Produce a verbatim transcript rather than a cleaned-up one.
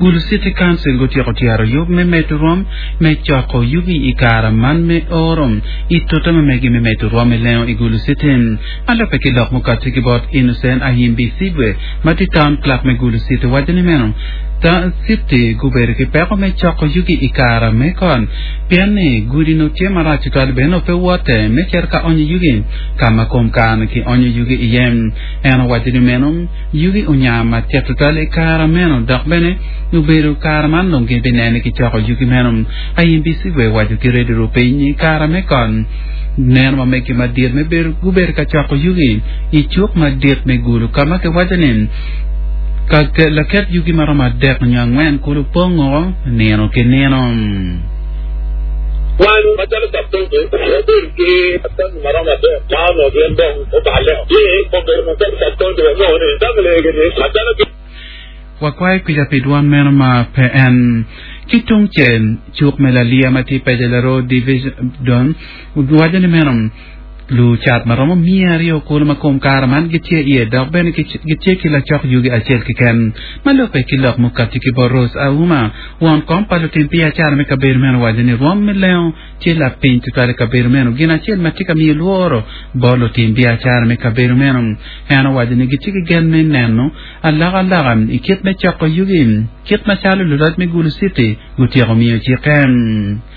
Gulu City Council gutyeko tyero yub me medo rwom me coko yugi i kare man me oro i tute ma megi me medo rwom me lengo i Gulu City. Ma lubbe ki lok mukati ki bot Innocent Ahimbisibwe ma tye town clerk me Gulu City waco ni meno City gubedo ki peko me coko yugi i kare me kot pien ni gudi no tye marac tutwal bene pe wote me cito ka onyo yugi ka ma kom kare ki onyo yugi iye. En owaco ni meno yugi onya matek tutwal i kare meno dok bene obedo kare man dong gin binene ki coko yugi meno. Ahimbisibwe owaco ki Radio Rupiny i kare me kot neno ma megi madit me bedo gubedo ka coko yugi i cuk madit me Gulu ka ma kiwaco ni ka laket yugi maromo adek nyo angwen kulu pongo nino ki nino. Wan macalo sub-county wabedo ki assembly maromo adek ma onongo gin dong oballe ci obedo macalo sub-county wanongo ni assembly egi-ni macalo ki Wakwayo kica pi dwon meno ma pe en. Ki tungcel, cuk me Lalia ma tye i Peja Laroo Division waco ni meno lucat ma romo miya aryo kulu ma kom kare man gitye iye dok bene gitye ki lacok yugi acel keken. Ma lubbe ki lok mukati ki bot Rose Auma, won kom pa lutim biacara me kabedo meno owaco ni rwom me lengo tye lapiny tutwal i kabedo meno. Gin acel ma tye ka miyo lworo bot lutim biacara me kabedo meno. En owaco ni gitye ki gen me neno alokaloka i kit me coko yugi kit macalo luloc me Gulu City gutyeko miyo cikke.